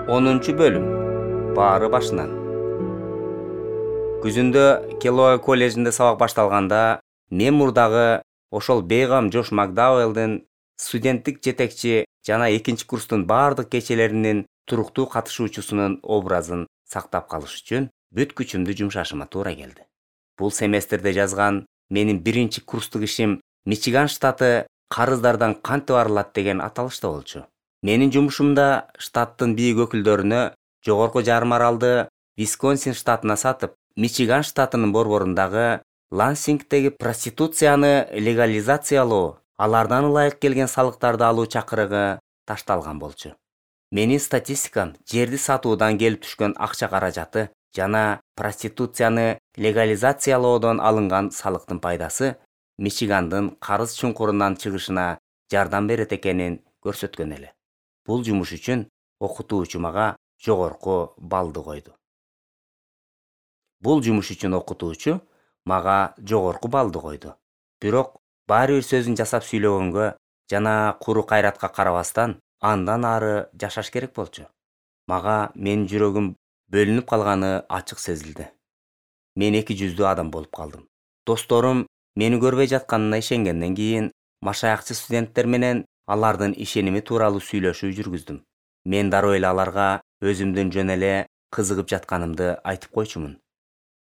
10-бөлүм. Баары башынан. Күзүндө Келлоуэй коллежинде сабак башталганда, мен мурдагы ошол бейгам Джош Макдауэллдин студенттик жетекчи жана экинчи курстун баардык кечелеринин туруктуу катышуучусунун образын сактап калыш үчүн бүт күчүмдү жумшашыма туура келди. Бул семестрде жазган менин биринчи курстук ишим Мичиган штаты карыздардан кантип арылат деген аталышта болчу. Менин жумушумда штаттын бийик өкүлдөрүнө жогорку жарым аралды Висконсин штатына сатып, Мичиган штатынын борборундагы Лансингдеги проституцияны легализациялоо, алардан ылайык келген салыктарды алуу чакырыгы ташталган болчу. Менин статистикам жерди сатуудан келип түшкөн акча каражаты жана проституцияны легализациялоодон алынган салыктын пайдасы Мичигандын карыз чуңкурунан чыгышына жардам берет экенин көрсөткөн эле. Бул жумуш үчүн окутуучу мага жогорку баллды койду. Бирок баары бир сөзүн жасап сүйлөгөнгө жана куру кайратка карабастан андан ары жашаш керек болчу. Мага менин жүрөгүм бөлүнүп калганы ачык сезилди. Мен эки жүздүү адам болуп калдым. Досторум мени көрбөй жатканына ишенгенден кийин машаякчы студенттер менен алардын ишеними тууралуу сүйлөшүү жүргүздүм. Мен дароо эле аларга өзүмдүн жөн эле кызыгып жатканымды айтып койчумун.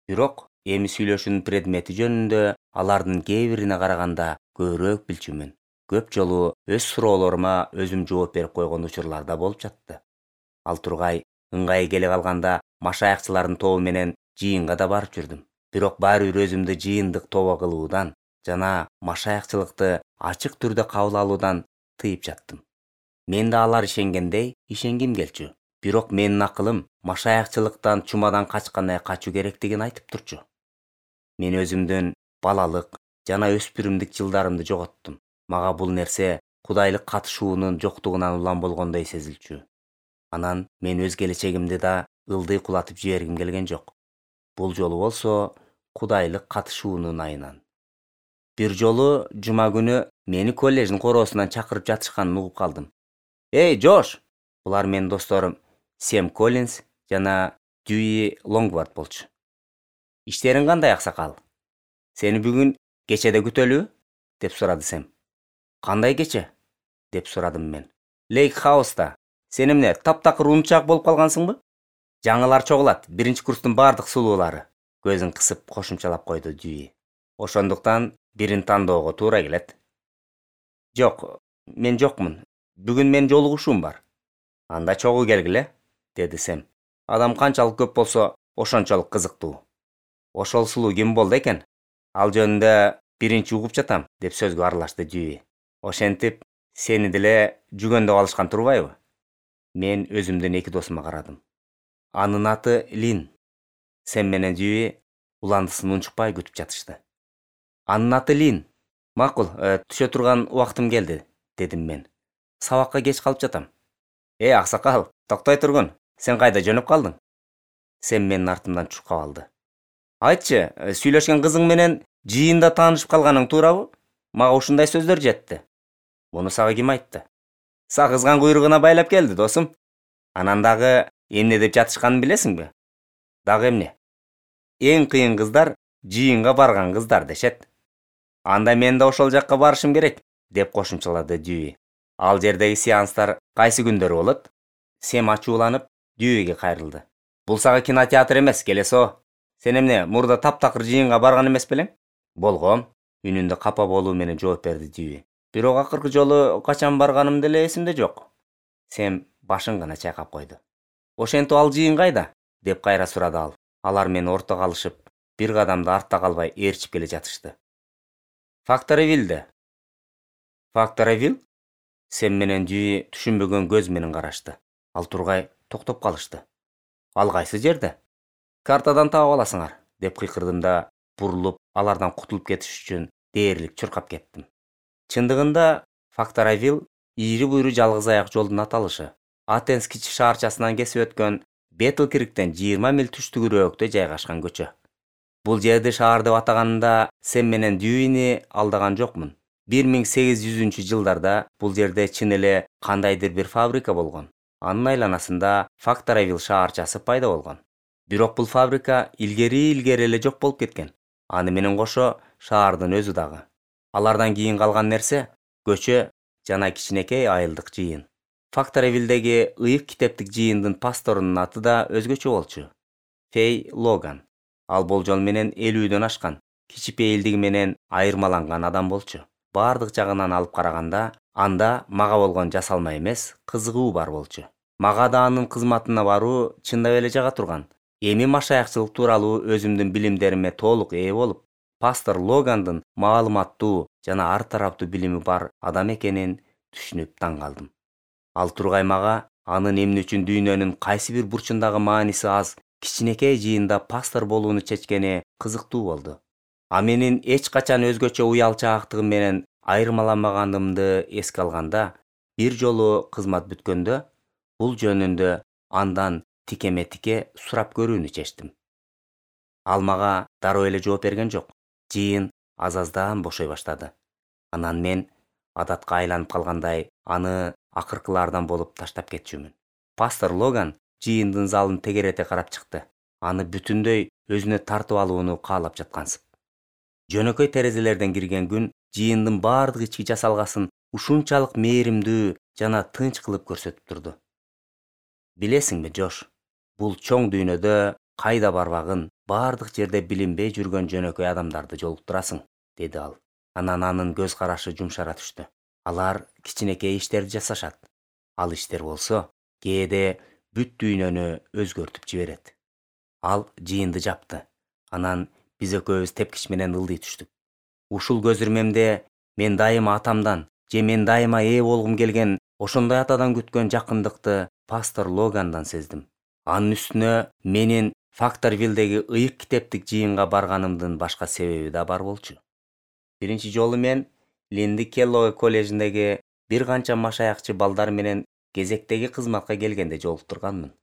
Бирок эми сүйлөшүүнүн предмети жөнүндө алардын кээ бирине караганда көбүрөөк билчүмүн. Көп жолу өз суроолорума өзүм жооп берип койгон учурлар да болуп жатты. Ал тургай ыңгайы келе калганда машаякчылардын тобу менен жыйынга да барып жүрдүм. Бирок баары бир өзүмдү жыйындык тобо кылуудан жана машаякчылыкты ачык түрдө кабыл алуудан тыйып жаттым. Мен да алар ишенгендей ишенгим келчү. Бирок менин акылым машаякчылыктан чумадан качкандай качуу керектигин айтып турчу. Мен өзүмдүн балалык жана өспүрүмдүк жылдарымды жоготтум. Мага бул нерсе кудайлык катышуунун жоктугунан улам болгондой сезилчү. Анан мен өз келечегимди да ылдый кулатып жибергим келген жок. Бул жолу болсо кудайлык катышуунун айынан. Бир жолу жума күнү мени коллеждин короосунан чакырып жатышканын угуп калдым. «Эй, Джош!» Булар менин досторум Сэм Коллинс жана Дьюи Лонгвард болчу. «Иштериң кандай, аксакал? Сени бүгүн кечеде күтөлүбү?» деп сурады Сэм. «Кандай кече?» деп сурадым мен. «Лейк Хауста. Сен эмне таптакыр унчак болуп калгансыңбы? Жаңылар чогулат, биринчи курстун бардык сулуулары», көзүн кысып кошумчалап койду Дьюи. «Ошондуктан бирин тандоого туура келет». «Жок, мен жокмун. Бүгүн менин жолугушуум бар». «Анда чогуу келгиле», деди Сэм. «Адам канчалык көп болсо, ошончолук кызыктуу». «Ошол сулуу ким болду экен? Ал жөнүндө биринчи угуп жатам», деп сөзгө аралашты Дьюи. «Ошентип, сени деле жүгөндө алышкан турбайбы?» Мен өзүмдүн эки досума карадым. «Анын аты Лин». Сэм менен Дьюи уландысын унчукпай күтүп жатышты. «Анын аты Лин. Макул, түшө турган убактым келди», дедим мен. «Сабакка кеч калып жатам». «Эй, аксакал, токтой тургун. Сен кайда жөнөп калдың?» Сэм менин артымдан чуркап алды. «Айтчы, сүйлөшкөн кызың менен жыйында таанышып калганың туурабы? Мага ушундай сөздөр жетти». «Муну сага ким айтты?» «Сагызган куйругуна байлап келди, досум. Анан дагы эмне деп жатышканын билесиңби?» «Дагы эмне?» «Эң кыйын кыздар жыйынга барган кыздар дешет». «Анда мен да ошол жакка барышым керек», деп кошумчалады Дьюи. «Ал жердеги сеанстар кайсы күндөрү болот?» Сэм ачууланып Дьюиге кайрылды. «Бул сага кинотеатр эмес, келесо. Сен эмне мурда таптакыр жыйынга барган эмес белең?» «Болгом», үнүндө капа болуу менен жооп берди Дьюи. «Бирок акыркы жолу качан барганым деле эсимде жок». Сэм башын гана чайкап койду. «Ошентип ал жыйын кайда?» деп кайра сурады ал. Алар мени ортого алышып, бир кадамда артта калбай ээрчип келе жатышты. «Факторвиллде». «Факторвилл?» Сэм менен Дьюи түшүнбөгөн көз менен карашты. Ал тургай токтоп калышты. «Ал кайсы жерде?» «Картадан таап аласыңар», деп кыйкырдым да бурулуп, алардан кутулуп кетиш үчүн дээрлик чуркап кеттим. Чындыгында Факторвилл ийри буйру жалгыз аяк жолдун аталышы. Атенс кичи шаарчасынан кесип өткөн Бетлкриктен 20 миль түштүгүрөөктө жайгашкан көчө. Бул жерди шаар деп атаганында Сэм менен Дьюини алдаган жокмун. 1800-жылдарда бул жерде чын эле кандайдыр бир фабрика болгон. Анын айланасында Факторвилл шаарчасы пайда болгон. Бирок бул фабрика илгери эле жок болуп кеткен. Аны менен кошо шаардын өзү дагы. Алардан кийин калган нерсе көчө жана кичинекей айылдык жыйын. Факторвиллдеги ыйык китептик жыйындын пасторунун аты да өзгөчө болчу. Фей Логан. Ал болжол менен 50дөн ашкан, кичипейилдиги менен айырмаланган адам болчу. Бардык жагынан алып караганда, анда мага болгон жасалма эмес, кызыгуу бар болчу. Мага да анын кызматына баруу чындап эле жага турган. Эми машаякчылык тууралуу өзүмдүн билимдериме толук ээ болуп, пастор Логандын маалыматтуу жана ар тараптуу билими бар адам экенин түшүнүп таң калдым. Ал тургай мага анын эмне үчүн дүйнөнүн кайсы бир бурчундагы мааниси аз кичинекей жыйында пастор болууну чечкени кызыктуу болду. А менин эч качан өзгөчө уялчаактыгым менен айырмаламаганымды эске алганда, бир жолу кызмат бүткөндө бул жөнүндө андан тикеме-тике сурап көрүүнү чечтим. Ал мага дароо эле жооп берген жок. Жыйын аз-аздан бошой баштады. Анан мен адатка айланып калгандай аны акыркылардан болуп таштап кетчүмүн. Пастор Логан жыйындын залын тегерете карап чыкты. Аны бүтүндөй өзүнө тартып алууну каалап жаткансып. Жөнөкөй терезелерден кирген күн жыйындын бардык ички жасалгасын ушунчалык мээримдүү жана тынч кылып көрсөтүп турду. Билесиңби, Жош, бул чоң дүйнөдө кайда барбагын, бардык жерде билинбей жүргөн жөнөкөй адамдарды жолуктурасың, деди ал. Анан анын көз карашы жумшара түштү. Алар кичинекей иштерди жасашат. Ал иштер болсо, кээде бүт дүйнөнү өзгөртүп жиберет. Ал жыйынды жапты. Анан биз экөөбүз тепкич менен ылдый түштүк. Ушул көз ирмемде мен дайыма атамдан же мен дайыма ээ болгум келген ошондой атадан күткөн жакындыкты пастор Логандан сездим. Анын үстүнө менин Факторвиллдеги ыйык китептик жыйынга барганымдын башка себеби да бар болчу. Биринчи жолу мен Линди Келлоуэй коллежиндеги бир канча машаякчы балдар менен кезектеги кызматка келгенде жолуктурганмын.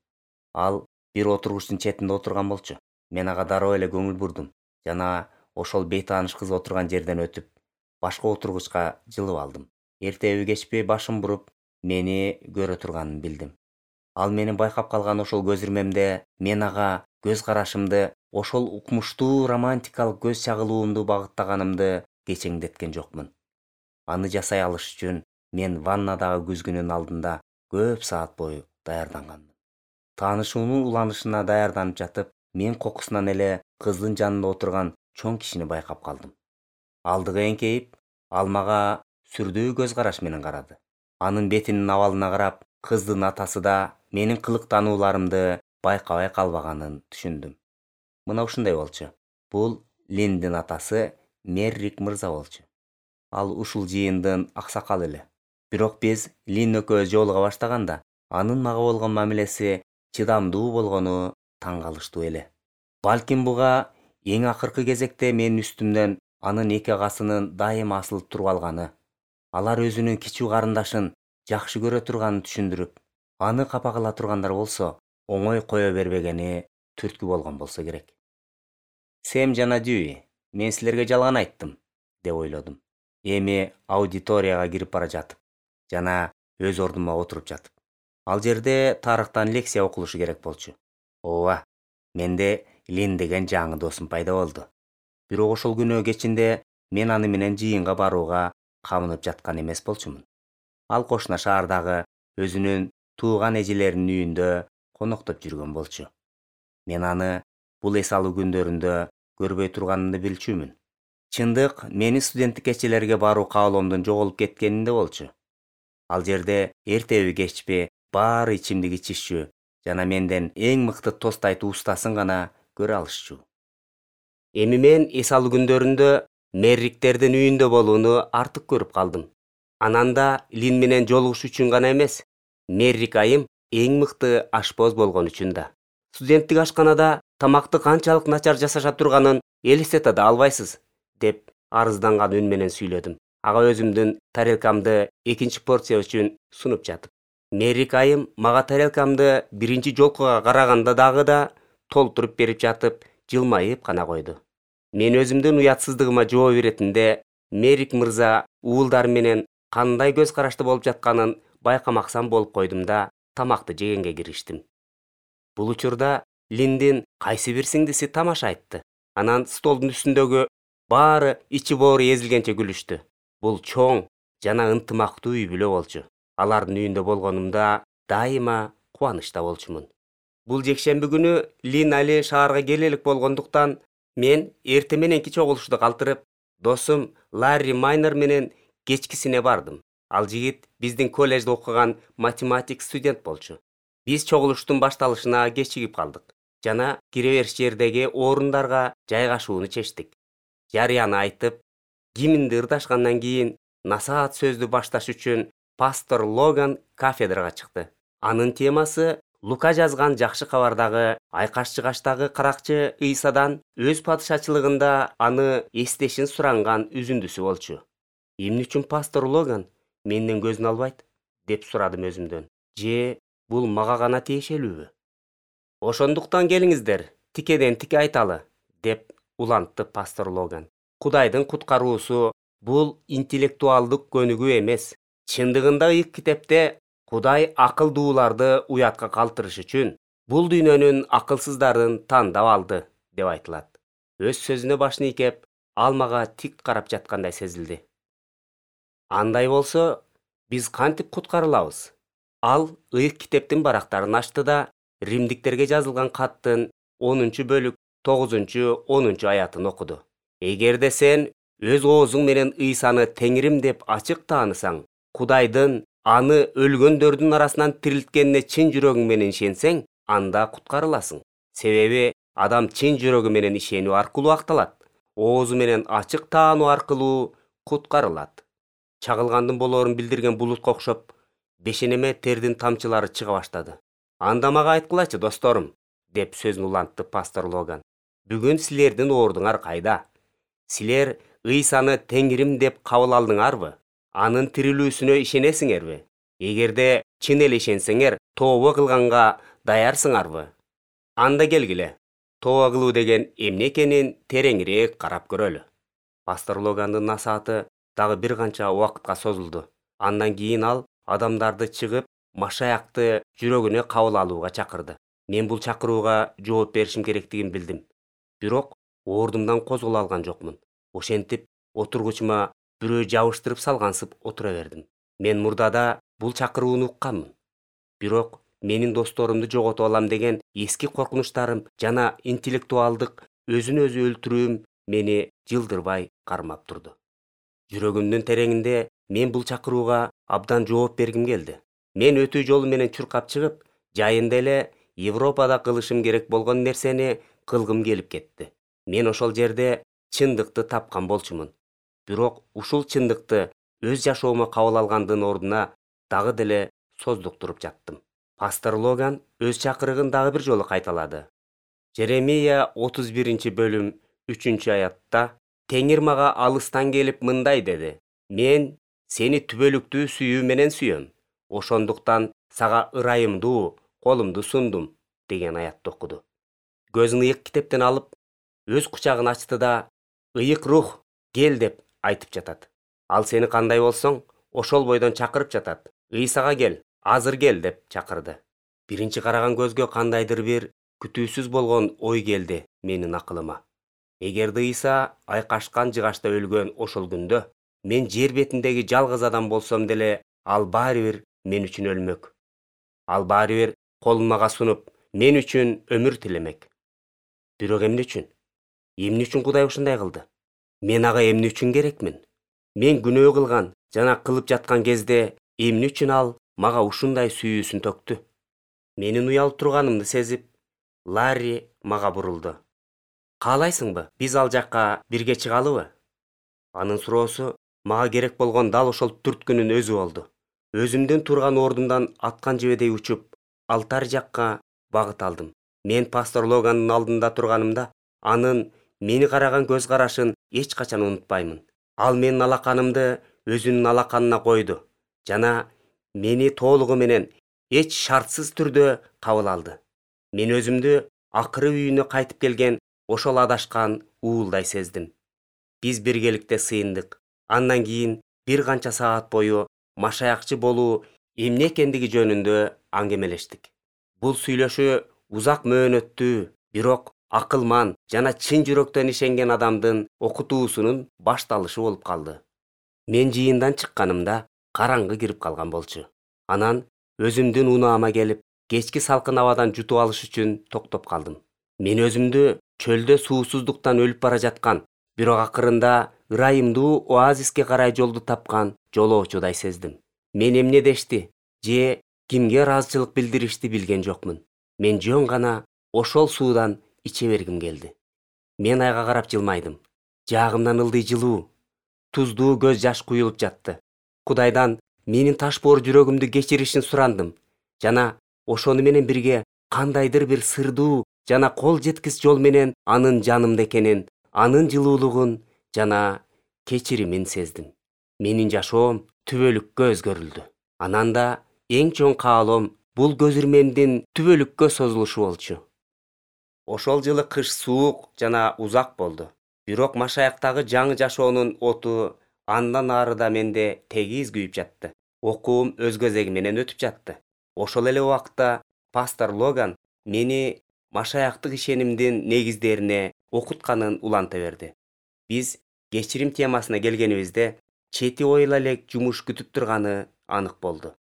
Ал бир отургучтун четинде отурган болчу. Мен ага дароо эле көңүл бурдум жана ошол бейтааныш кыз отурган жерден өтүп, башка отургучка жылып алдым. Эртеби кечпи башын буруп, мени көрө турганын билдим. Ал менин байкап калган ошол көз ирмемде мен ага көз карашымды, ошол укмуштуу романтикалык көз чагылуумду багыттаганымды кечеңдеткен жокмун. Аны жасай алыш үчүн мен ваннадагы күзгүнүн алдында көп саат бою даярданганмын. Таанышуунун уланышына даярданып жатып, мен кокусунан эле кыздын жанында отурган чоң кишини байкап калдым. Алдыга эңкейип, ал мага сүрдүү көз караш менен карады. Анын бетинин абалына карап, кыздын атасы да менин кылыктанууларымды байкабай калбаганын түшүндүм. Мына ушундай болчу. Бул Линдин атасы Меррик мырза болчу. Ал ушул жыйындын аксакалы эле. Бирок биз Лин экөөбүз жолуга баштаганда, анын мага болгон мамилеси чыдамдуу болгону таң калыштуу эле. Балким буга эң акыркы кезекте менин үстүмдөн анын эки агасынын дайыма асылып туруп алганы, алар өзүнүн кичүү карындашын жакшы көрө турганын түшүндүрүп, аны капа кыла тургандар болсо, оңой кое бербегени түрткү болгон болсо керек. Сэм жана Дьюи, мен силерге жалган айттым, деп ойлодум. Эми аудиторияга кирип бара жатып жана өз ордума отуруп жатып. Ал жерде тарыхтан лекция окулушу керек болчу. Ооба, менде Лин деген жаңы досум пайда болду. Бирок ошол күнөө кечинде мен аны менен жыйынга барууга камынып жаткан эмес болчумун. Ал кошуна шаардагы өзүнүн тууган эжелеринин үйүндө коноктоп жүргөн болчу. Мен аны бул эс алуу күндөрүндө көрбөй турганымды билчүмүн. Чындык менин студенттик кечелерге баруу каалоомдун жоголуп кеткенинде болчу. Ал жерде эртеби кечпи баары ичимдик ичишчү жана менден эң мыкты тост айтуу устасын гана көрө алышчу. Эми мен эс алуу күндөрүндө Мерриктердин үйүндө болууну артык көрүп калдым. Анан да Лин менен жолугуш үчүн гана эмес, Меррик айым эң мыкты ашпоз болгон үчүн да. Студенттик ашканада тамакты канчалык начар жасаша турганын элестете да албайсыз, деп арызданган үн менен сүйлөдүм. Ага өзүмдүн тарелкамды экинчи порция үчүн сунуп жатып. Меррик айым мага тарелкамды биринчи жолкуга караганда дагы да толтуруп берип жатып, жылмайып гана койду. Мен өзүмдүн уятсыздыгыма жооп иретинде Меррик мырза уулдар менен кандай көз карашты болуп жатканын байкамаксан болуп койдум да, тамакты жегенге кириштим. Бул учурда Линдин кайсы бир сиңдиси тамаша айтты. Анан столдун үстүндөгү баары ичи боору эзилгенче күлүштү. Бул чоң жана ынтымактуу үй бүлө болчу. Алардын үйүндө болгонумда дайыма кубанычта болчумун. Бул жекшемби күнү Лин али шаарга келе элек болгондуктан мен эртең мененки чогулушту калтырып, досум Ларри Майнер менен кечкисине бардым. Ал жигит биздин коллежде окуган математик студент болчу. Биз чогулуштун башталышына кечигип калдык жана кире бериш жердеги орундарга жайгашууну чечтик. Жарыяны айтып, киминди ырдашкандан кийин насаат сөздү башташ үчүн пастор Логан кафедрага чыкты. Анын темасы Лука жазган жакшы кабардагы айкаш-чыгаштагы каракчы Ыйсадан өз падышачылыгында аны эстешин суранган үзүндүсү болчу. Эмне үчүн пастор Логан менден көзүн албайт деп сурадым өзүмдөн. Же бул мага гана тиешелүүбү? Ошондуктан келиңиздер, тикеден тике айталы, деп улантты пастор Логан. Кудайдын куткаруусу бул интеллектуалдык көнүгүү эмес. Чындыгында ыйык китепте Кудай акылдууларды уятка калтырыш үчүн бул дүйнөнүн акылсыздарын тандап алды деп айтылат. Өз сөзүнө башын ийкеп, ал мага тик карап жаткандай сезилди. Андай болсо, биз кантип куткарылабыз? Ал ыйык китептин барактарын ачты да римдиктерге жазылган каттын 10-бөлүк 9-10 аятын окуду. Эгерде сен өз оозуң менен Ыйсаны Теңирим деп ачык таанысаң, Кудайдын аны өлгөндөрдүн арасынан тирилткенине чын жүрөгүң менен ишенсең, анда куткарыласың. Себеби адам чын жүрөгү менен ишенүү аркылуу акталат. Оозу менен ачык таануу аркылуу куткарылат. Чагылгандын болоорун билдирген булутка окшоп, бешенеме тердин тамчылары чыга баштады. Анда мага айткылачы, досторум, деп сөзүн улантты пастор Логан. Бүгүн силердин оордуңар кайда? Силер Ыйсаны Теңирим деп кабыл алдыңарбы? Анын тирилүүсүнө ишенесиңерби? Эгерде чын эле ишенсеңер, тообо кылганга даярсыңарбы? Анда келгиле. Тообо кылуу деген эмне экенин тереңирээк карап көрөлү. Пастор Логандын насааты дагы бир канча убакытка созулду. Андан кийин ал адамдарды чыгып, Машаякты жүрөгүнө кабыл алууга чакырды. Мен бул чакырууга жооп беришим керектигин билдим. Бирок ордумдан козголо алган жокмун. Ошентип, отургучума бирөө жабыштырып салгансып отура бердим. Мен мурдада бул чакырууну укканмын. Бирок менин досторумду жоготуп алам деген эски коркунучтарым жана интеллектуалдык өзүн өзү өлтүрүүм мени жылдырбай кармап турду. Жүрөгүмдүн тереңинде мен бул чакырууга абдан жооп бергим келди. Мен өтүү жолу менен чуркап чыгып, жайында эле Европада кылышым керек болгон нерсени кылгым келип кетти. Мен ошол жерде чындыкты тапкан болчумун. Бирок ушул чындыкты өз жашоомо кабыл алгандын ордуна дагы деле создуктуруп жаттым. Пастор Логан өз чакырыгын дагы бир жолу кайталады. Жеремия 31-бөлүм 3-аятта Теңир мага алыстан келип мындай деди: Мен сени түбөлүктүү сүйүү менен сүйөм. Ошондуктан сага ырайымдуу колумду сундум деген аятты окуду. Көзүн ыйык китептен алып, өз кучагын ачты да, ыйык рух, кел деп айтып жатат. Ал сени кандай болсоң, ошол бойдон чакырып жатат. Ыйсага кел, азыр кел деп чакырды. Биринчи караган көзгө кандайдыр бир күтүүсүз болгон ой келди менин акылыма. Эгерде Ыйса айкашкан жыгачта өлгөн ошол күндө мен жер бетиндеги жалгыз адам болсом деле, ал баары бир мен үчүн өлмөк. Ал баары бир колун мага сунуп, мен үчүн өмүр тилемек. Бирок эмне үчүн? Эмне үчүн Кудай ушундай кылды? Мен ага эмне үчүн керекмин? Мен күнөө кылган жана кылып жаткан кезде эмне үчүн ал мага ушундай сүйүүсүн төктү? Менин уялып турганымды сезип, Ларри мага бурулду. Каалайсыңбы, биз ал жакка бирге чыгалыбы? Анын суроосу мага керек болгон дал ошол түрткүнүн өзү болду. Өзүмдүн турган ордумдан аткан жебедей учуп, алтарь жакка багыт алдым. Мен пастор Логандын алдында турганымда, анын мени караган көз карашын эч качан унутпаймын. Ал менин алаканымды өзүнүн алаканына койду жана мени толугу менен эч шартсыз түрдө кабыл алды. Мен өзүмдү акыры үйүнө кайтып келген ошол адашкан уулдай сездим. Биз биргеликте сыйындык. Андан кийин бир канча саат бою Машаякчы болуу эмне экендиги жөнүндө аңгемелештик. Бул сүйлөшүү узак мөөнөттүү, бирок акылман жана чын жүрөктөн ишенген адамдын окутуусунун башталышы болуп калды. Мен жыйындан чыкканымда караңгы кирип калган болчу. Анан өзүмдүн унаама келип, кечки салкын абадан жутуп алыш үчүн токтоп калдым. Мен өзүмдү чөлдө суусуздуктан өлүп бара жаткан, бирок акырында ырайымдуу оазиске карай жолду тапкан жолоочудай сездим. Мен эмне дешти же кимге ыраазычылык билдиришти билген жокмун. Мен жөн гана ошол суудан иче бергим келди. Мен айга карап жылмайдым. Жаагымдан ылдый жылуу, туздуу көз жаш куюлуп жатты. Кудайдан менин таш боор жүрөгүмдү кечиришин сурандым жана ошону менен бирге кандайдыр бир сырдуу жана кол жеткис жол менен анын жанымда экенин, анын жылуулугун жана кечиримин сездим. Менин жашоом түбөлүккө өзгөрүлдү. Анан да эң чоң каалоом бул көзүрмемдин түбөлүккө созулушу болчу. Ошол жылы кыш суук жана узак болду. Бирок Машаяктагы жаңы жашоонун оту андан арыда менде тегиз күйүп жатты. Окуум өз кезеги менен өтүп жатты. Ошол эле убакта пастор Логан мени Машаяктык ишенимдин негиздерине окутканын уланта берди. Биз кечирим темасына келгенибизде чети ойла элек жумуш күтүп турганы анык болду.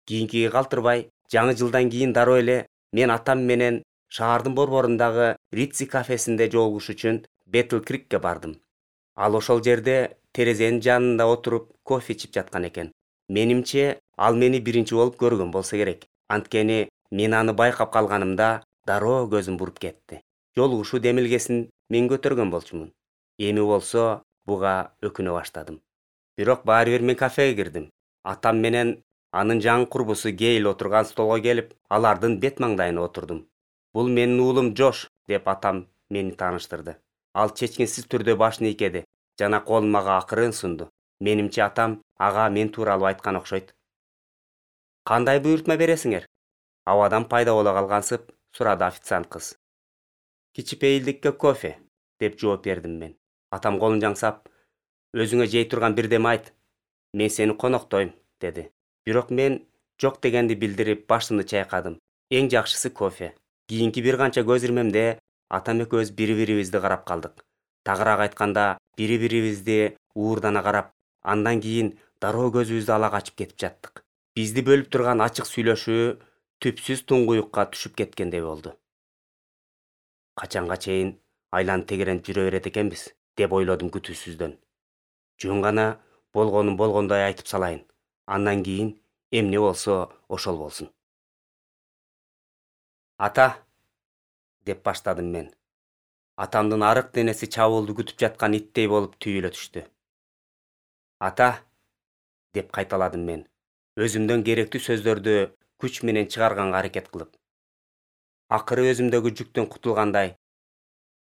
Кийинкиге калтырбай, жаңы жылдан кийин дароо эле мен атам менен шаардын борборундагы Ритси кафесинде жолугуш үчүн Бетл Крикке бардым. Ал ошол жерде терезенин жанында отуруп кофе ичип жаткан экен. Менимче, ал мени биринчи болуп көргөн болсо керек. Анткени мен аны байкап калганымда дароо көзүм буруп кетти. Жолугушуу демилгесин мен көтөргөн болчумун. Эми болсо буга өкүнө баштадым. Бирок баары бир мен кафеге кирдим. Атам менен анын жаңы курбусу Гейл отурган столго келип, алардын бет маңдайына отурдум. Бул менин уулум Джош, деп атам мени тааныштырды. Ал чечкинсиз түрдө башын ийкеди жана колун мага акырын сунду. Менимче атам ага мен тууралуу айткан окшойт. Кандай буйрутма бересиңер? Абадан пайда боло калгансып сурады официант кыз. Кичипейилдикке кофе, деп жооп бердим мен. Атам колун жаңсап, өзүңө жей турган бирдеме айт. Мен сени коноктойм, деди. Бирок мен жок дегенди билдирип башымды чайкадым. Эң жакшысы кофе. Кийинки бир канча көзүрмемде атам экөөбүз бири-бирибизди карап калдык. Тагыраак айтканда, бири-бирибизди уурдана карап, андан кийин дароо көзүбүздү ала качып кетип жаттык. Бизди бөлүп турган ачык сүйлөшүү түпсүз туңгуюкка түшүп кеткендей болду. Качанга чейин айланып тегеренип жүрө берет экенбиз, деп ойлодум күтүүсүздөн. Жөн гана болгонун болгондой айтып салайын. Андан кийин эмне болсо ошол болсун. Ата, деп баштадым мен. Атамдын арык денеси чабуулду күтүп жаткан иттей болуп түйүлө түштү. Ата, деп кайталадым мен, өзүмдөн керектүү сөздөрдү күч менен чыгарганга аракет кылып. Акыры өзүмдөгү жүктөн кутулгандай,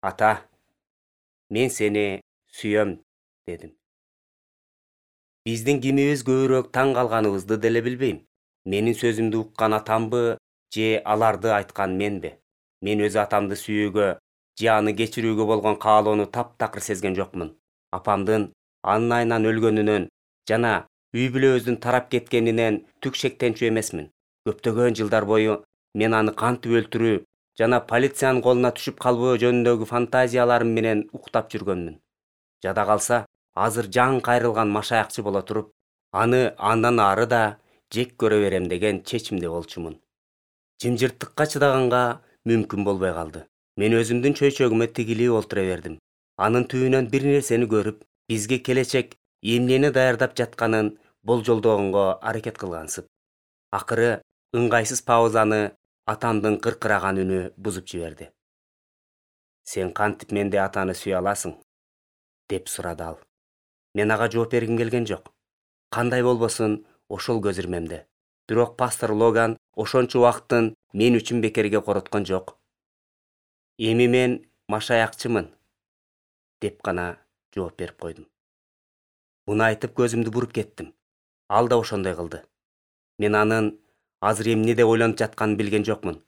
ата, мен сени сүйөм, дедим. Биздин кимибиз көбүрөөк таң калганыбызды деле билбейм. Менин сөзүмдү уккан атамбы же аларды айткан менби? Мен өз атамды сүйүүгө же аны кечирүүгө болгон каалоону таптакыр сезген жокмун. Апамдын анын айынан өлгөнүнөн жана үй бүлөбүздүн тарап кеткенинен түк шектенчү эмесмин. Көптөгөн жылдар бою мен аны кантип өлтүрүү жана полициянын колуна түшүп калбоо жөнүндөгү фантазияларым менен уктап жүргөнмүн. Жада калса, азыр жаңы кайрылган машаякчы боло туруп, аны андан ары да жек көрө берем деген чечимде болчумун. Жымжырттыкка чыдаганга мүмкүн болбой калды. Мен өзүмдүн чөйчөгүмө тигилип олтура бердим. Анын түбүнөн бир нерсени көрүп, бизге келечек эмнени даярдап жатканын болжолдогонго аракет кылгансып. Акыры ыңгайсыз паузаны атамдын кыркыраган үнү бузуп жиберди. Сен кантип менде атаны сүйө аласың? Деп сурады ал. Мен ага жооп бергим келген жок. Кандай болбосун ошол көзүрмемде. Бирок пастор Логан ошончо убакыттын мен үчүн бекерге короткон жок. Эми мен машаякчымын, деп гана жооп берип койдум. Буну айтып көзүмдү буруп кеттим. Ал да ошондой кылды. Мен анын азыр эмнеде ойлонуп жатканын билген жокмун.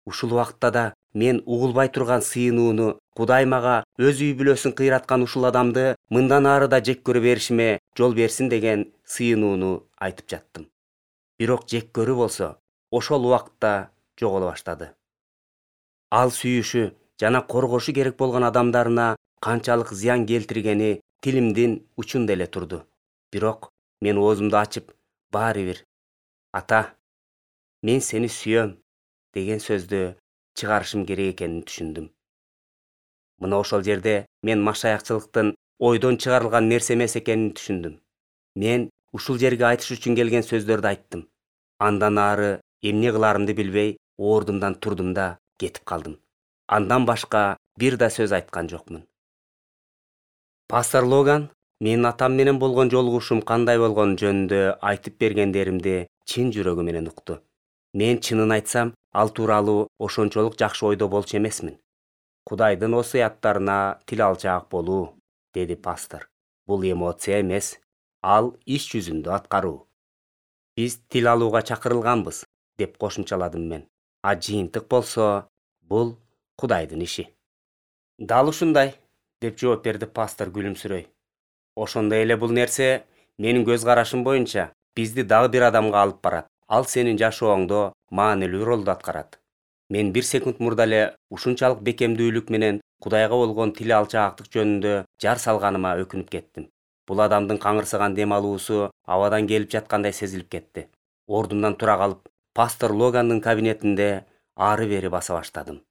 Ушул убакытта да мен угулбай турган сыйынууну, Кудай мага өз үй бүлөсүн кыйраткан ушул адамды мындан ары да жек көрө беришиме жол берсин деген сыйынууну айтып жаттым. бирок жек көрүү болсо ошол убакытта жоголо баштады. Ал сүйүшү жана коргошу керек болгон адамдарына канчалык зыян келтиргени тилимдин учунда эле турду. Бирок мен оозумду ачып, баары бир «Ата, мен сени сүйөм» деген сөздү чыгарышым керек экенин түшүндүм. Мына ошол жерде мен машаякчылыктын ойдон чыгарылган нерсе эмес экенин түшүндүм. Мен ушул жерге айтыш үчүн келген сөздөрдү айттым. Андан ары эмне кыларымды билбей, ордумдан турдум да кетип калдым. Андан башка бир да сөз айткан жокмун. Пастор Логан менин атам менен болгон жолугушуум кандай болгону жөнүндө айтып бергендеримди чын жүрөгү менен укту. Мен чынын айтсам, ал тууралуу ошончолук жакшы ойдо болчу эмесмин. Кудайдын осуяттарына тил алчаак болуу, деди пастор. Бул эмоция эмес, ал иш жүзүндө аткаруу. Биз тил алууга чакырылганбыз, деп кошумчаладым мен. А жыйынтык болсо, бул Кудайдын иши. Дал ушундай, деп жооп берди пастор күлүмсүрөй. Ошондой эле бул нерсе менин көз карашым боюнча бизди дагы бир адамга алып барат. Ал сенин жашооңдо маанилүү ролду аткарат. Мен 1 секунд мурда эле ушунчалык бекемдүүлүк менен Кудайга болгон тил алчаактык жөнүндө жар салганыма өкүнүп кеттим. Бул адамдын каңырсыган дем алуусу абадан келип жаткандай сезилип кетти. Ордумдан тура калып, пастор Логандын кабинетинде ары бери баса баштадым.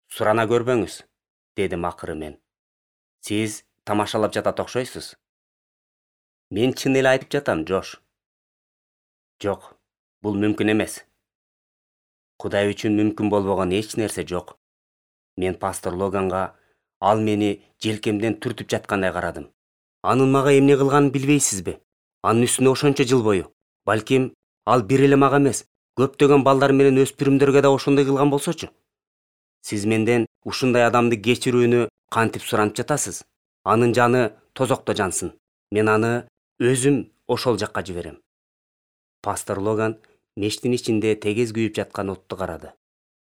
Сурана көрбөңүз, дедим акыры мен. Сиз тамашалап жатат окшойсуз. Мен чын эле айтып жатам, Джош. Жок, бул мүмкүн эмес. Кудай үчүн мүмкүн болбогон эч нерсе жок. Мен пастор Логанга ал мени желкемден түртүп жаткандай карадым. Анын мага эмне кылганын билбейсизби? Анын үстүнө ошончо жыл бою. Балким ал бир эле мага эмес, көптөгөн балдар менен өспүрүмдөргө да ошондой кылган болсочу. Сиз менден ушундай адамды кечирүүнү кантип суранып жатасыз? Анын жаны тозокто жансын. Мен аны өзүм ошол жакка жиберем. Пастор Логан мештин ичинде тегез күйүп жаткан отту карады.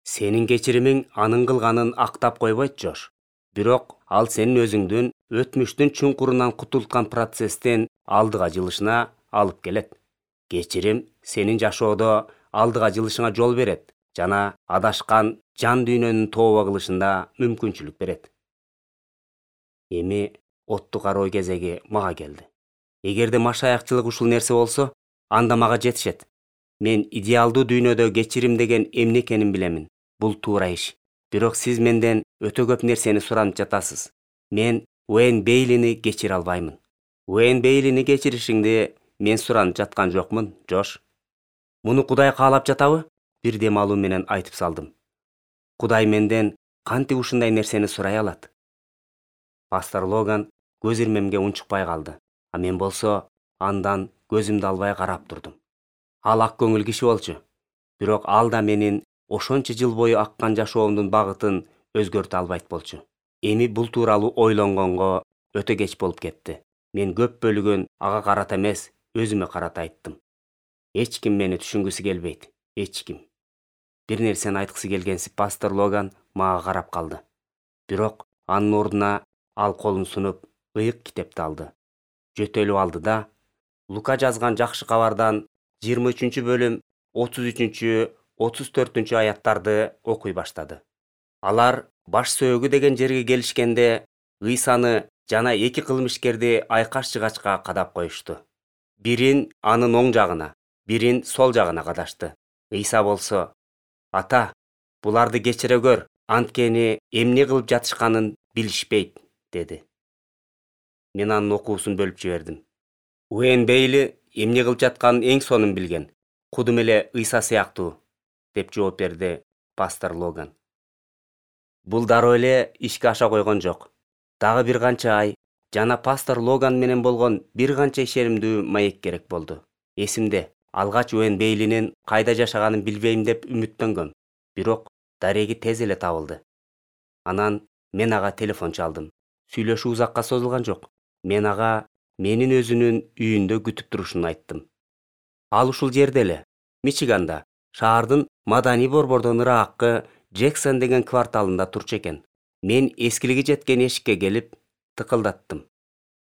Сенин кечиримиң анын кылганын актап койбойт, Жош. Бирок ал сенин өзүңдүн өтмүштүн чуңкурунан кутулткан процесстен алдыга жылышына алып келет. Кечирим сенин жашоодо алдыга жылышыңа жол берет жана адашкан жан дүйнөнүн тооба кылышында мүмкүнчүлүк берет. Эми отту кароо кезеги мага келди. Эгерде машаякчылык ушул нерсе болсо, анда мага жетишет. Мен идеалдуу дүйнөдө кечирим деген эмне экенин билемин. Бул туура иш. Бирок сиз менден өтө көп нерсени суранып жатасыз. Мен Уэйн Бейлини кечире албаймын. Уэйн Бейлини кечиришиңди мен суранып жаткан жокмун, Жош. Муну Кудай каалап жатабы? Бир дем алуу менен айтып салдым. Кудай менден кантип ушундай нерсени сурай алат? Пастор Логан көз ирмемге унчукпай калды. А мен болсо андан көзүмдү албай карап турдум. Ал ак көңүл киши болчу. Бирок ал да менин ошончо жыл бою аккан жашоомдун багытын өзгөртө албайт болчу. Эми бул тууралуу ойлонгонго өтө кеч болуп кетти. Мен көп бөлүгүн ага карата эмес, өзүмө карата айттым. Эч ким мени түшүнгүсү келбейт, эч ким. Бир нерсени айткысы келгенсип пастор Логан мага карап калды. Бирок анын ордуна ал колун сунуп, ыйык китепти алды. Жөтөлүп алды да Лука жазган жакшы кабардан 23 бөлүм 33-34 аяттарды окуй баштады. Алар баш сөөгү деген жерге келишкенде Ыйсаны жана 2 кылмышкерди айкаш-жыгачка кадап коюшту. Бирин анын оң жагына, бирин сол жагына кадашты. Ыйса болсо: «Ата, буларды кечире көр, анткени эмне кылып жатышканын билишпейт», деди. Мен анын окуусун бөлүп жибердим. Уэйн Бейли эмне кылып жатканын эң сонун билген. Кудум эле Ыйса сыяктуу, деп жооп берди пастор Логан. Бул дароо эле ишке аша койгон жок. Дагы бир канча ай жана пастор Логан менен болгон бир канча ишеримдүү маек керек болду. Эсимде, алгач Уэйн Бейлинин кайда жашаганын билбейм деп үмүттөнгөм. Бирок дареги тез эле табылды. Анан мен ага телефон чалдым. Сүйлөшүү узакка созулган жок. Мен ага менин өзүнүн үйүндө күтүп турушун айттым. Ал ушул жерде эле, Мичиганда, шаардын маданий борбордон ыраккы Джексон деген кварталында турчу экен. Мен эскилиги жеткен эшикке келип, тыкылдаттым.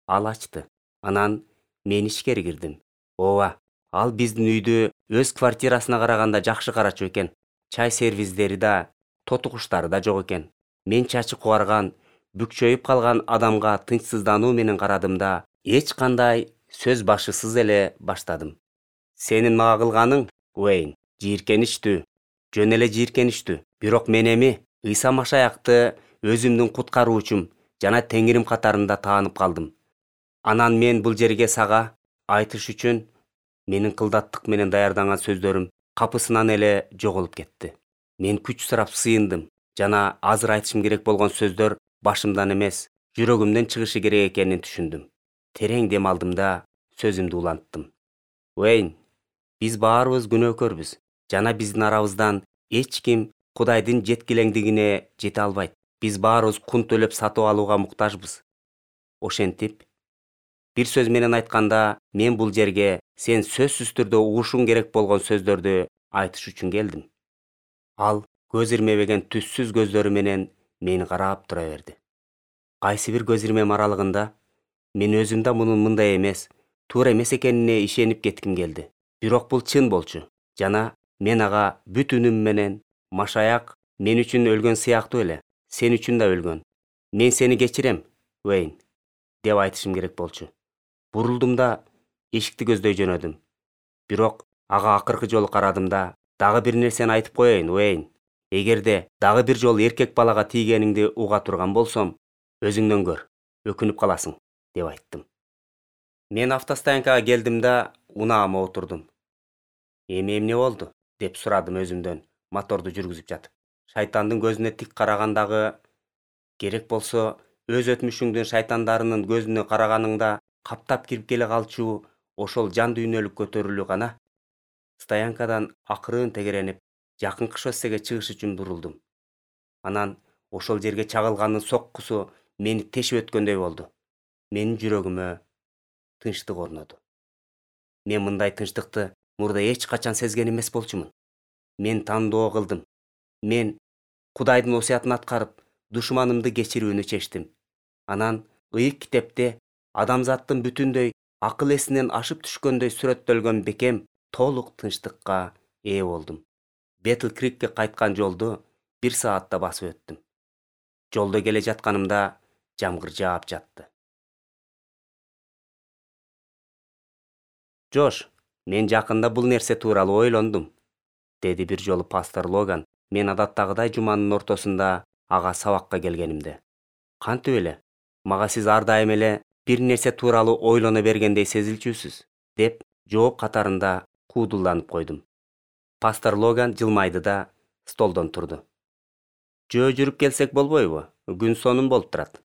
Ал ачты. Анан мен ичкери кирдим. Ооба, Ал биздин үйдү өз квартирасына караганда жакшы карачу экен. Чай сервиздери да, тоту куштары да жок экен. Мен чачы кубарган, бүкчөйүп калган адамга тынчсыздануу менен карадым да, эч кандай сөз башысыз эле баштадым. Сенин мага кылганың, Уэйн, жийиркеничтүү, жөн эле жийиркеничтүү. Бирок мен эми Ыйса Машаякты өзүмдүн куткаруучум жана Теңирим катарында таанып калдым. Анан мен бул жерге сага айтыш үчүн менин кылдаттык менен даярданган сөздөрүм капысынан эле жоголуп кетти. Мен күч сурап сыйындым жана азыр айтышым керек болгон сөздөр башымдан эмес, жүрөгүмдөн чыгышы керек экенин түшүндүм. Терең дем алдым да сөзүмдү уланттым. Уэйн, биз баарыбыз күнөөкөрбүз жана биздин арабыздан эч ким Кудайдын жеткилеңдигине жете албайт. Биз баарыбыз кун төлөп сатып алууга муктажбыз. Ошентип, бир сөз менен айтканда, мен бул жерге сен сөзсүз түрдө угушуң керек болгон сөздөрдү айтыш үчүн келдим. Ал көз ирмебеген түссүз көздөрү менен мени карап тура берди. Кайсы бир көз ирмем аралыгында мен өзүм да мунун мындай эмес, туура эмес экенине ишенип кетким келди. Бирок бул чын болчу жана мен ага бүт үнүм менен Машаяк мен үчүн өлгөн сыяктуу эле, сен үчүн да өлгөн. Мен сени кечирем, Уэйн, деп айтышым керек болчу. Бурулдум да эшикти көздөй жөнөдүм. Бирок ага акыркы жолу карадым да, дагы бир нерсени айтып коеюн, Уэйн. Эгерде дагы бир жолу эркек балага тийгениңди уга турган болсом, өзүңдөн көр, өкүнүп каласың, деп айттым. Мен автостоянкага келдим да унаама отурдум. Эми эмне болду? Деп сурадым өзүмдөн, моторду жүргүзүп жатып. Шайтандын көзүнө тик карагандагы, керек болсо өз өтмүшүңдүн шайтандарынын көзүнө караганыңда каптап кирип келе калчу ошол жан дүйнөлүк көтөрүлүү гана. Стоянкадан акырын тегеренип, жакынкы шоссеге чыгыш үчүн бурулдум. Анан ошол жерге чагылгандын соккусу мени тешип өткөндөй болду. Менин жүрөгүмө тынчтык орноду. Мен мындай тынчтыкты мурда эч качан сезген эмес болчумун. Мен тандоо кылдым. Мен Кудайдын осуятын аткарып, душманымды кечирүүнү чечтим. Анан ыйык китепте адамзаттын бүтүндөй акыл эсинен ашып түшкөндөй сүрөттөлгөн бекем толук тынчтыкка ээ болдум. Бетл Крикке кайткан жолду 1 саатта басып өттүм. Жолдо келе жатканымда жамгыр жаап жатты. Жош, мен жакында бул нерсе тууралуу ойлондум, деди бир жолу пастор Логан. Мен адаттагыдай жуманын ортосунда ага сабакка келгенимде. Кантип эле? Мага сиз ар дайым эле бир нерсе тууралуу ойлоно бергендей сезилчүсүз, деп жооп катарында куудулданып койдум. Пастор Логан жылмайды да столдон турду. Жөө жүрүп келсек болбойбу? Күн сонун болуп турат.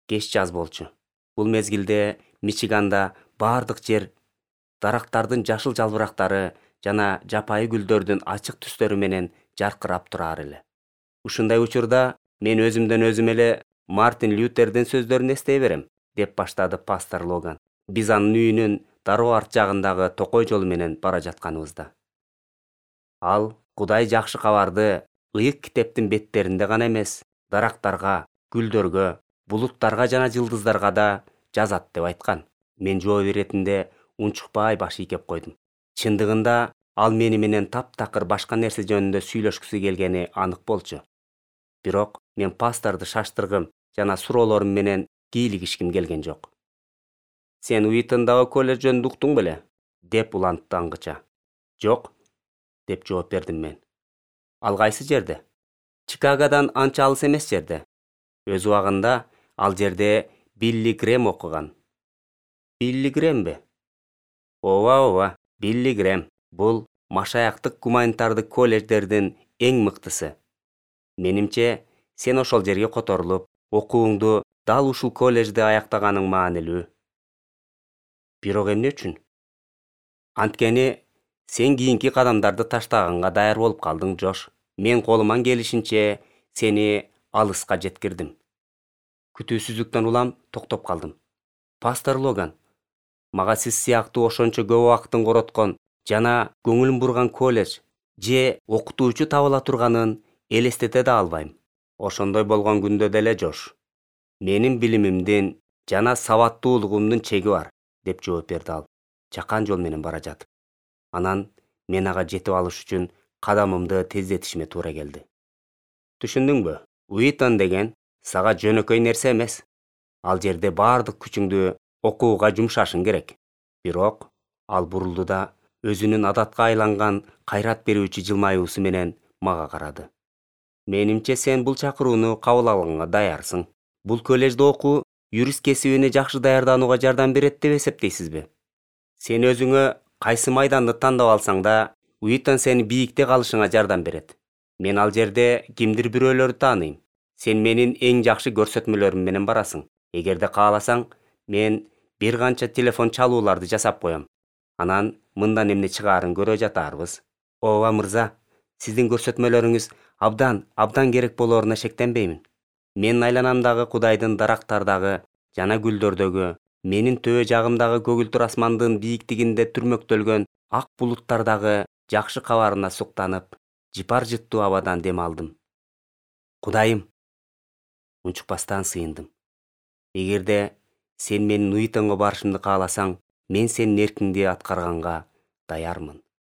Кеч жаз болчу. Бул мезгилде Мичиганда бардык жер дарактардын жашыл жалбырактары жана жапайы гүлдөрдүн ачык түстөрү менен жаркырап турар эле. Ушундай учурда мен өзүмдөн өзүм эле Мартин Лютердин сөздөрүн эстей берем, деп баштады пастор Логан. Биз анын үйүнүн дароо арт жагындагы токой жол менен бара жатканыбызда. Ал Кудай жакшы кабарды ыйык китептин беттеринде гана эмес, дарактарга, гүлдөргө, булуттарга жана жылдыздарга да жазат деп айткан. Мен жооп иретинде унчукпай баш ийкеп койдум. Чындыгында ал мени менен таптакыр башка нерсе жөнүндө сүйлөшкүсү келгени анык болчу. Бирок мен пасторду шаштыргым жана суроолорум менен кийлигишким келген жок. Сен Уитондагы колледж жөнүндө уктуң беле? Деп улантты аңгыча. Жок, деп жооп бердим мен. Ал кайсы жерде? Чикагодан анча алыс эмес жерде. Өз убагында ал жерде Билли Грэм окуган. Билли Грэмби? Ооба, Билли Грэм. Бул Машаяктык гуманитардык колледждердин эң мыктысы. Менимче, сен ошол жерге которулуп, окууңду дал ушул колледжде аяктаганың маанилүү. Бирок эмне үчүн? Анткени сен кийинки кадамдарды таштаганга даяр болуп калдың, Жош. Мен колуман келишинче сени алыска жеткирдим. Күтүүсүздүктөн улам токтоп калдым. Пастор Логан, мага сиз сыяктуу ошончо көп убактын короткон жана көңүлүн бурган колледж же окутуучу табыла турганын элестете да албайм. Ошондой болгон күндө деле, Жош, менин билимимдин жана сабаттуулугумдун чеги бар, деп жооп берди ал, чакан жол менен бара жатып. Анан мен ага жетип алыш үчүн кадамымды тездетишиме туура келди. Түшүндүңбү? Уитон деген сага жөнөкөй нерсе эмес. Ал жерде баардык күчүңдү окууга жумшашың керек. Бирок ал бурулду да өзүнүн адатка айланган кайрат берүүчү жылмаюусу менен мага карады. Менимче сен бул чакырууну кабыл алганга даярсың. Бул коллежде окуу юрист кесибине жакшы даярданууга жардам берет деп эсептейсизби? Сен өзүңө кайсы майданды тандап алсаң да, Уитон сени бийикте калышыңа жардам берет. Мен ал жерде кимдир бирөөлөрдү тааныйм. Сен менин эң жакшы көрсөтмөлөрүм менен барасың. Эгерде кааласаң, мен бир канча телефон чалууларды жасап коем. Анан мындан эмне чыгаарын көрө жатарбыз. Ооба мырза, сиздин көрсөтмөлөрүңүз абдан керек болооруна шектенбеймин. Менин айланамдагы Кудайдын дарактардагы жана гүлдөрдөгү, менин төбө жагымдагы көгүлтүр асмандын бийиктигинде түрмөктөлгөн ак булуттардагы жакшы кабарына суктанып, жыпар жыттуу абадан дем алдым. Кудайым, унчукпастан сыйындым. Эгерде сен менин Уитонго барышымды кааласаң, мен сенин эркиңди аткарганга даярмын.